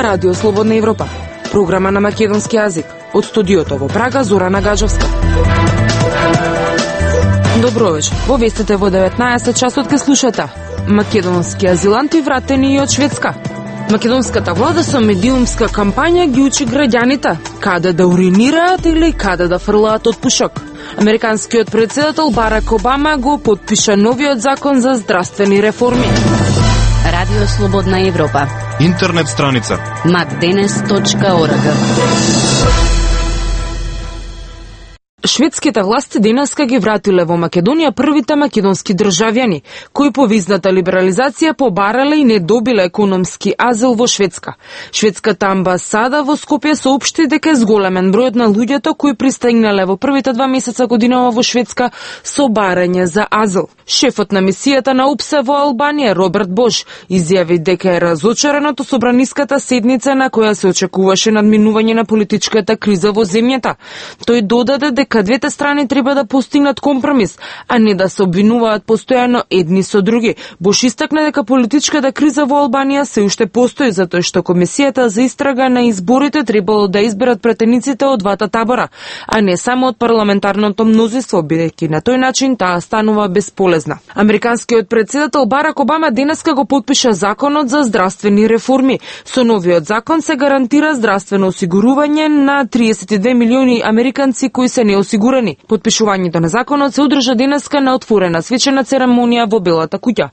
Радио Слободна Европа, програма на македонски јазик. Од студиото во Прага, Зорана Гаджовска. Добро вечер. Во вестите во 19 часот ке слушате. Македонски азиланти вратени и од Шведска. Македонската влада со медиумска кампања ги учи граѓаните каде да уринираат или каде да фрлаат од пушок. Американскиот председател Барак Обама го потпиша новиот закон за здравствени реформи. Радио Слободна Европа. Интернет страница macdenes.org. Шведските власти денеска ги вратиле во Македонија првите македонски државјани, кои по визната либерализација побарале и не добиле економски азил во Шведска. Шведската амбасада во Скопје соопшти дека зголемен бројот на луѓето кои пристигнале во првите 2 месеца годинава во Шведска со барање за азил. Шефот на мисијата на ОПСЕ во Албанија, Роберт Бош, изјави дека е разочаран од собраниската седница на која се очекуваше надминување на политичката криза во земјата. Тој додаде дека двете страни треба да постигнат компромис, а не да се обвинуваат постојано едни со други. Бош истакна дека политичката криза во Албанија се уште постои, затоа што комисијата за истрага на изборите требало да изберат претениците од двата табора, а не само од парламентарното мнозинство, бидејќи на тој начин таа станува бесполезна. Американскиот председател Барак Обама денеска го потпиша законот за здравствени реформи. Со новиот закон се гарантира здравствено осигурување на 32 милиони американци кои се неосигурани. Потпишувањето на законот се одржа денеска на отворена свечена церемонија во Белата куќа.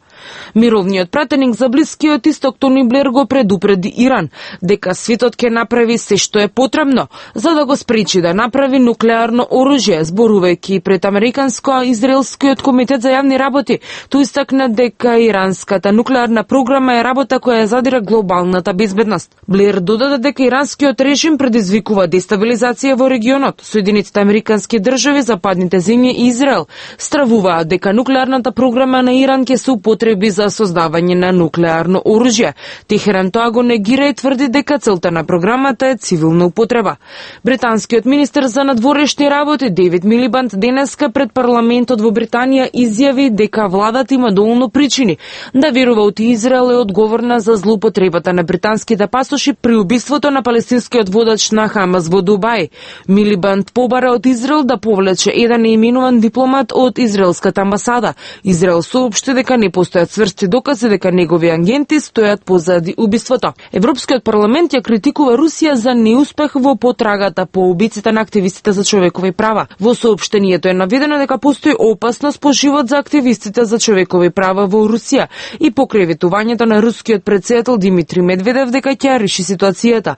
Мировниот пратеник за Блискиот Исток Тони Блер го предупреди Иран дека светот ќе направи се што е потребно за да го спречи да направи нуклеарно оружје, зборувајќи пред Американско-израелскиот комитет за јавни работи. Тој истакна дека иранската нуклеарна програма е работа која задира глобалната безбедност. Блер додаде дека иранскиот режим предизвикува дестабилизација во регионот. Соединетите американски држави, западните земји и Израел стравуваат дека нуклеарната програма на Иран ќе се употреби за создавање на нуклеарно оружје. Техеран тоа го негира и тврди дека целта на програмата е цивилна употреба. Британскиот министер за надворешни работи Дейвид Милибанд денеска пред парламентот во Британија изјави дека владата има доволно причини да верува од Израел е одговорна за злоупотребата на британските пасоши при убиството на палестинскиот водач на Хамас во Дубај. Милибанд побара од Израел да повлече еден неименуван дипломат од израелската амбасада. Израел соопшти дека не постојат цврсти докази дека негови агенти стојат позади убиството. Европскиот парламент ја критикува Русија за неуспех во потрагата по убиците на активистите за човекови права. Во соопштението е наведено дека постои опасност по живот за активистите за човекови права во Русија и покривитувањето на рускиот председател Димитри Медведев дека ќе реши ситуацијата.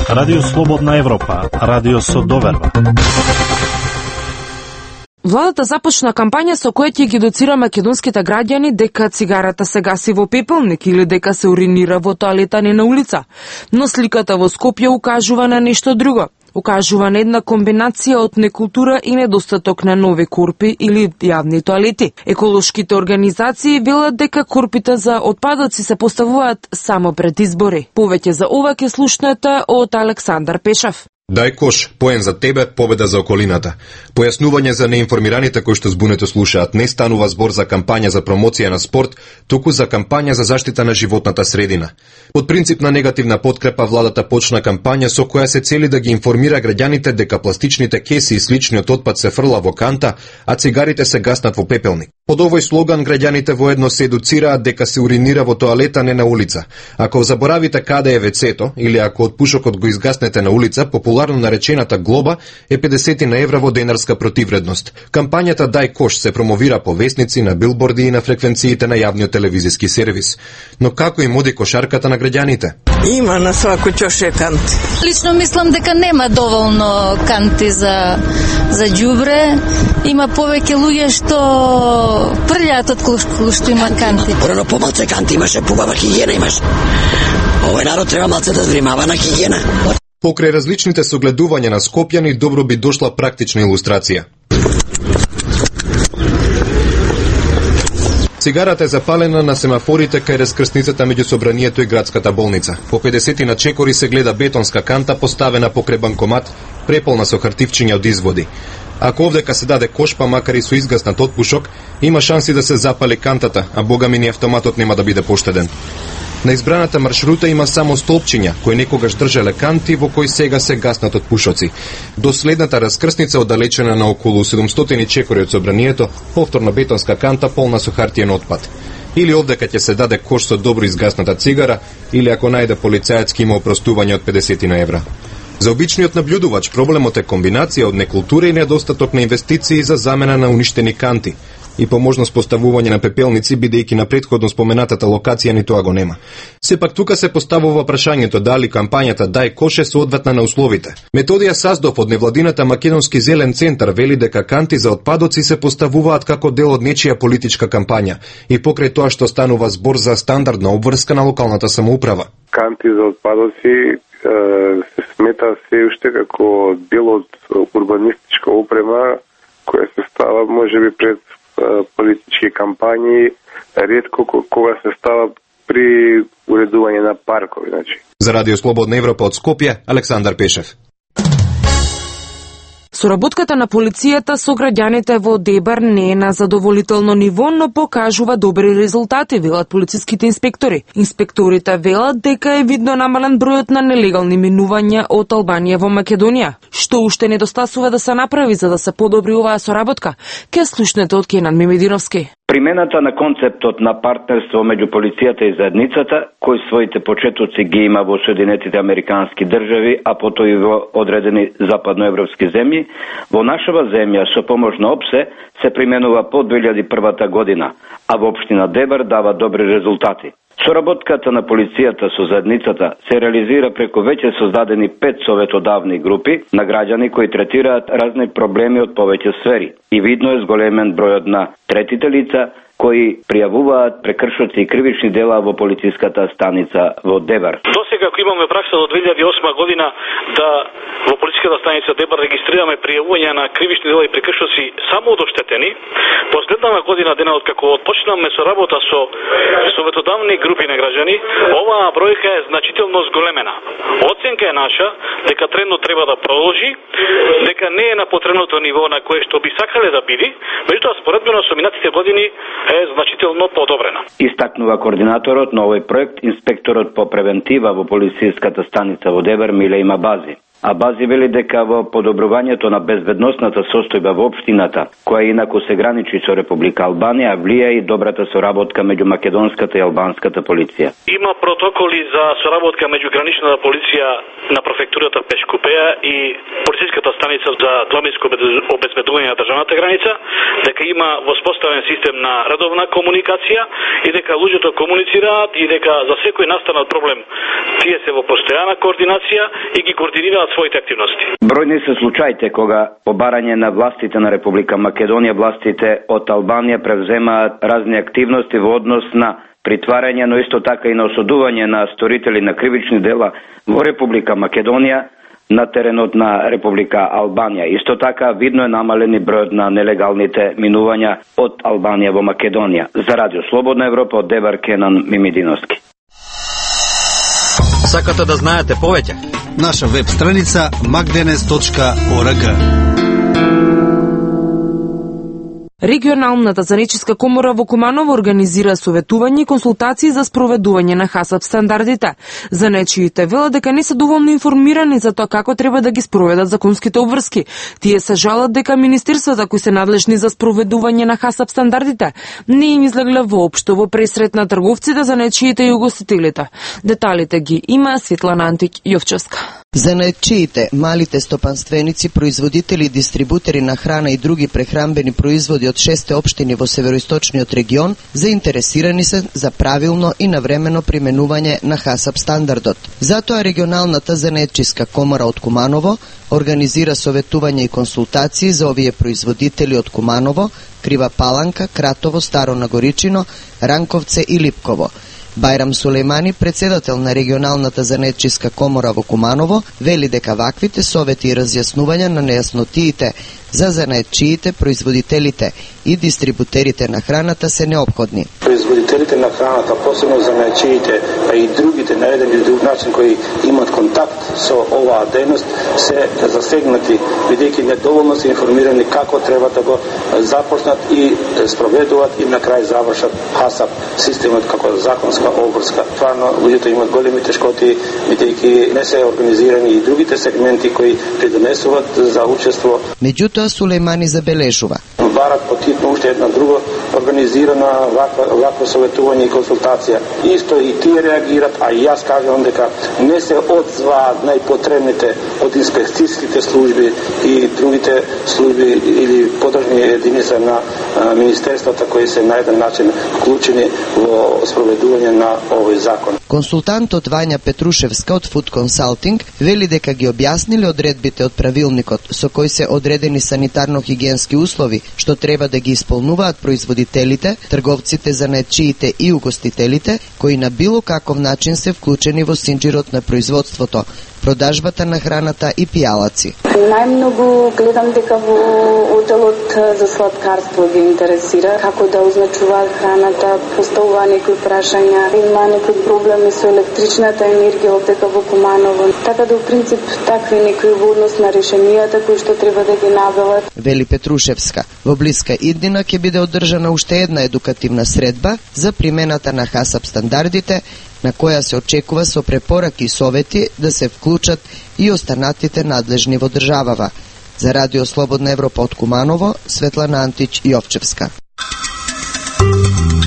Радио Слободна Европа, радио со доверба. Владата започна кампања со која ќе ги едуцира македонските граѓани дека цигарата се гаси во пепелник или дека се уринира во тоалета, не на улица. Но сликата во Скопје укажува на нешто друго. Укажува на една комбинација од некултура и недостаток на нови корпи или јавни тоалети. Еколошките организации велат дека корпите за отпадоци се поставуваат само пред избори. Повеќе за ова ќе слушнете од Александар Пешев. Дај кош, поен за тебе, победа за околината. Појаснување за неинформираните кои што збунето слушаат, не станува збор за кампања за промоција на спорт, туку за кампања за заштита на животната средина. Под принцип на негативна подкрепа владата почна кампања со која се цели да ги информира граѓаните дека пластичните кеси и сличниот отпад се фрла во канта, а цигарите се гаснат во пепелник. Под овој слоган граѓаните воедно се едуцираат дека се уринира во тоалета, не на улица. Ако заборавите каде е вецето или ако од пушокот го изгаснете на улица, популарно наречената глоба е 50 евра во денарска противредност. Кампањата Дај кош се промовира по весници, на билборди и на фреквенциите на јавниот телевизиски сервис. Но како им оди кошарката на граѓаните? Има на свако ќоше канти. Лично мислам дека нема доволно канти за ѓубре. Има повеќе луѓе што прљаат од што има канти. Порано помалце канти имаше, побава хигиена имаше. Овој народ треба малце да внимава на хигиена. Покрај различните согледувања на скопјани, добро би дошла практична илустрација. Цигарата е запалена на семафорите кај раскрсницата меѓу собранието и градската болница. По 50 на чекори се гледа бетонска канта поставена покрај банкомат, преполна со хартивчиња од изводи. Ако овдека се даде кош, па макар и со изгаснат отпушок, има шанси да се запали кантата, а бога ми ни автоматот нема да биде поштеден. На избраната маршрута има само столпчиња, кои некогаш држале канти во кои сега се гаснат од пушоци. До следната раскрсница оддалечена на околу 700 чекори од собранието, повторна бетонска канта полна со хартиен отпад. Или овдека ќе се даде кош со добро изгасната цигара, или ако најде полицаец ќе има опростување од 50 евра. За обичниот наблюдувач проблемот е комбинација од некултура и недостаток на инвестиции за замена на уништени канти и по можност поставување на пепелници, бидејќи на претходно споменатата локација ни тоа го нема. Сепак тука се поставува прашањето дали кампањата Дај кош е соодветна на условите. Методија Саздов од невладината Македонски зелен центар вели дека канти за отпадоци се поставуваат како дел од нечија политичка кампања и покрај тоа што станува збор за стандардна обврска на локалната самоуправа. Канти за отпадоци се смета се уште како дел од урбанистичка опрема која се става можеби пред политички кампањи, ретко кога се става при уредување на паркови, значи. За Радио Слободна Европа од Скопје, Александар Пешев. Соработката на полицијата со граѓаните во Дебар не е на задоволително ниво, но покажува добри резултати, велат полициските инспектори. Инспекторите велат дека е видно намален бројот на нелегални минувања од Албанија во Македонија. Што уште недостасува да се направи за да се подобри оваа соработка? Ке слушнете од Кенан Мимединовски. Примената на концептот на партнерство меѓу полицијата и заедницата, кој своите почетоци ги има во Соединетите Американски држави, а потоа и во одредени западноевропски земји, во нашава земја со помош на ОПСЕ се применува по 2001 година, а во општина Дебар дава добри резултати. Соработката на полицијата со заедницата се реализира преку веќе создадени 5 советодавни групи на граѓани кои третираат разни проблеми од повеќе сфери и видно е зголемен бројот на третите лица кои пријавуваат прекршоци и кривични дела во полициската станица во Дебар. Досега ако имаме пракса до 2008 година да во полициската станица Дебар регистрираме пријавување на кривични дела и прекршоци само од оштетени, последната година денот како отпочнаме со работа со советодавни групи на граѓани, оваа бројка е значително зголемена. Оценка е наша дека трендот треба да продолжи, дека не е на потребното ниво на кое што би сакале да биде, меѓутоа споредбено со минатите години е значително подобрена. Истакнува координаторот на овој проект, инспекторот по превентива во полициската станица во Дебар Миле Имабази. А Бази вели дека во подобрувањето на безбедносната состојба во општината, која инаку се граничи со Република Албанија, влија и добрата соработка меѓу македонската и албанската полиција. Има протоколи за соработка меѓу граничната полиција на префектурата Пешкупеја и полициската станица за домиско обезбедување на државната граница, дека има воспоставен систем на редовна комуникација и дека луѓето комуницираат и дека за секој настанал проблем тие се во постојана координација и ги координираат своите активности. Бројни се случаите кога по барање на властите на Република Македонија, властите од Албанија превземаат разни активности во однос на притварање, но исто така и на осудување на сторители на кривични дела во Република Македонија на теренот на Република Албанија. Исто така видно е намалени бројот на нелегалните минувања од Албанија во Македонија. За Радио Слободна Европа од Дебар Кенан Мимединовски. Сакате да знаете повеќе? Наша веб страница magdenes.org. Регионалната занечиска комора во Куманово организира советување и консултации за спроведување на ХАСАП стандардите. Занечиите велат дека не се доволно информирани за тоа како треба да ги спроведат законските обврски. Тие се жалат дека министерствата кои се надлежни за спроведување на ХАСАП стандардите не им излегле воопшто во пресрет на трговците, занечиите и угостителите. Деталите ги има Светлана Антик Јовчевска. Занечиите, малите стопанственици, производители и дистрибутери на храна и други прехранбени производи од 6 општини во североисточниот регион заинтересирани се за правилно и навремено применување на ХАСАП стандардот. Затоа регионалната занечиска комора од Куманово организира советување и консултации за овие производители од Куманово, Крива Паланка, Кратово, Старо Нагоричино, Ранковце и Липково. Бајрам Сулејмани, председател на регионалната занечиска комора во Куманово, вели дека ваквите совети и разјаснувања на нејаснотиите за занаетчиите, производителите и дистрибутерите на храната се неопходни. Производителите на храната, посебно занаетчиите, а и другите на еден или друг начин кои имат контакт со оваа дејност се засегнати, бидејќи недоволно се информирани како треба да го започнат и спроведуваат и на крај завршат ХАСАП системот како законска обврска. Стварно луѓето имаат големи тешкоти бидејќи не се организирани и другите сегменти кои придонесуваат за учество. Меѓутоа Сулејмани забележува: барат потитно уште една друга организирана вакво советување и консултација. Исто и тие реагират, а и јас кажам дека не се одзваат најпотребните од инспекцијските служби и другите служби или подржни единици на министерствата кои се на еден начин вклучени во спроведување на овој закон. Консултантот Вања Петрушевска од Food Consulting вели дека ги објасниле одредбите од правилникот со кои се одредени санитарно-хигиенски услови што треба да ги исполнуваат производителите, трговците, занаетчиите и угостителите кои на било каков начин се вклучени во синџирот на производството, продажбата на храната и пијалаци. Најмногу гледам дека во одделот за сладкарство ги интересира како да означуваат храната, поставува некои прашања, има некои проблеми со електричната енергија овдека во Куманово. Така да, во принцип, такви некои во однос на решенијата кои што треба да ги набават. Вели Петрушевска. Во блиска иднина ќе биде одржана уште една едукативна средба за примената на ХАСАП стандардите, на која се очекува со препораки и совети да се вклучат и останатите надлежни во државава. За Радио Слободна Европа од Куманово, Светлана Антич Јовчевска.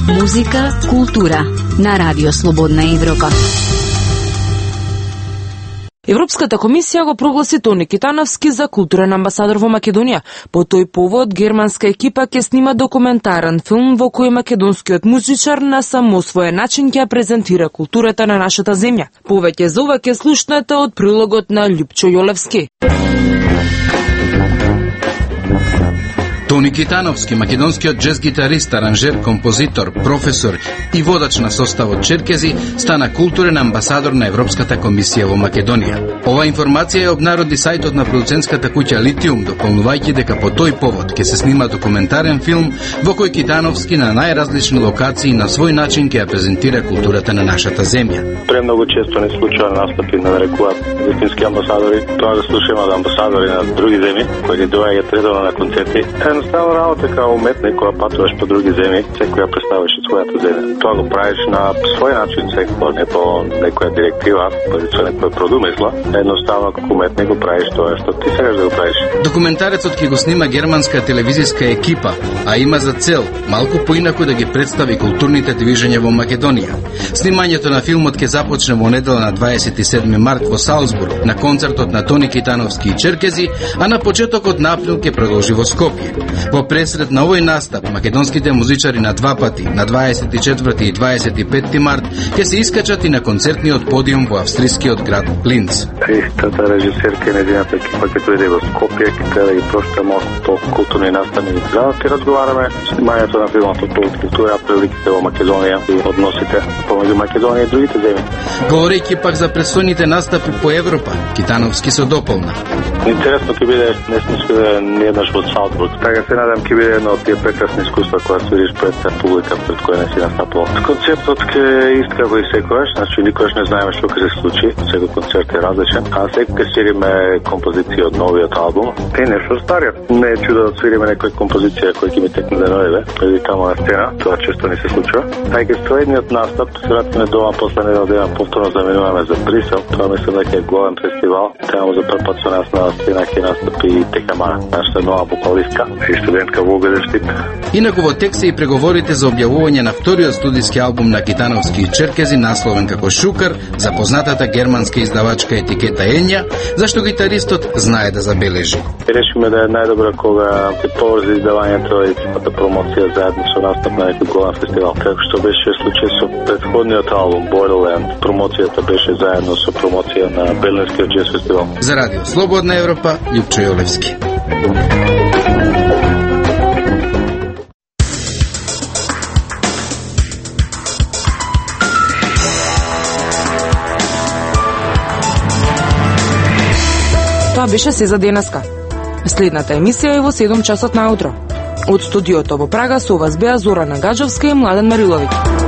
Музика, култура на Радио Слободна Европа. Европската комисија го прогласи Тони Китановски за културен амбасадор во Македонија. По тој повод, германска екипа ќе снима документарен филм во кој македонскиот музичар на само свој начин ќе презентира културата на нашата земја. Повеќе за ова ќе слушнете од прилогот на Љупчо Јолевски. Тони Китановски, македонскиот джез гитарист, аранжер, композитор, професор и водач на составот Черкези, стана културен амбасадор на Европската комисија во Македонија. Ова информација ја обнароди сајтот на продуцентската куќа Литиум, дополнувајќи дека по тој повод ќе се снима документарен филм во кој Китановски на најразлични локации на свој начин ќе ја презентира културата на нашата земја. Премногу често не случува настапи на нарекуваат вистински амбасадори. Тоа да слушаме од амбасадори на други земји кои ги доаѓаат редовно на концерти. Едноставно работа као уметник кога патуваш по други земји, секоја представаш од својата земја. Тоа го правиш на свој начин, секој не по некоја директива, со некоја продумисла. Едноставно како уметник го правиш тоа што ти сакаш да го правиш. Документарецот ќе го снима германска телевизиска екипа, а има за цел малку поинаку да ги представи културните движења во Македонија. Снимањето на филмот ќе започне во недела на 27 март во Салцбург на концертот на Тони Китановски и Черкези, а на почетокот на април ќе продолжи во Скопје. Во пресред на овој настап, македонските музичари на два пати, на 24 и 25 март, ќе се искачат и на концертниот подиум во австрискиот град Линц. Истата режисерка и нејзината екипа ќе дојде во Скопје, ќе треба да ги прошта малку по културни настани. За да разговараме снимањето на филмот од култура, приликите во Македонија и односите помеѓу Македонија и другите земји. Говорејќи пак за предстојните настапи по Европа, Китановски се дополна. Интересно ќе биде, не сме свиде нееднаш во Салцбург. Така се надам ќе биде едно од тие прекрасни искуства кога свириш пред публика пред која не си настапувал. Концертот ќе иска како и секогаш, значи никогаш не знаеме што ќе се случи, секој концерт е различен, а секој ќе свириме композиција од новиот албум и нешто стариот. Не е чудо да свириме некоја композиција која ќе ми текне да дојде, или тамо на сцена, тоа често не се случува. Тај ке следниот настап се вратиме дома после недел дена, повторно заминуваме за Брисел. Тоа мислам дека е голем фестивал. Тамо за прв пат со нас на сцена ќе настапи Техама, нашата нова вокалистка и студентка во Огедештип. Инаку во текст се и преговорите за објавување на вториот студиски албум на Китановски и Черкези, насловен како Шукар, за познатата германска издавачка етикета Енја, зашто гитаристот знае да забележи. Решиме да е најдобро кога ќе поврзи издавањето и целата промоција заедно со настап на некој голем фестивал. Како што беше случај со претходниот албум Borderland, промоцијата беше заедно со промоција на Берлинскиот джез фестивал. За Радио Слободна Европа, Љупчо Јолевски. Тоа беше се за денеска. Следната емисија е во 7 часот наутро. Од студиото во Прага со вас беа Зорана Гаджовска и Младен Мариловиќ.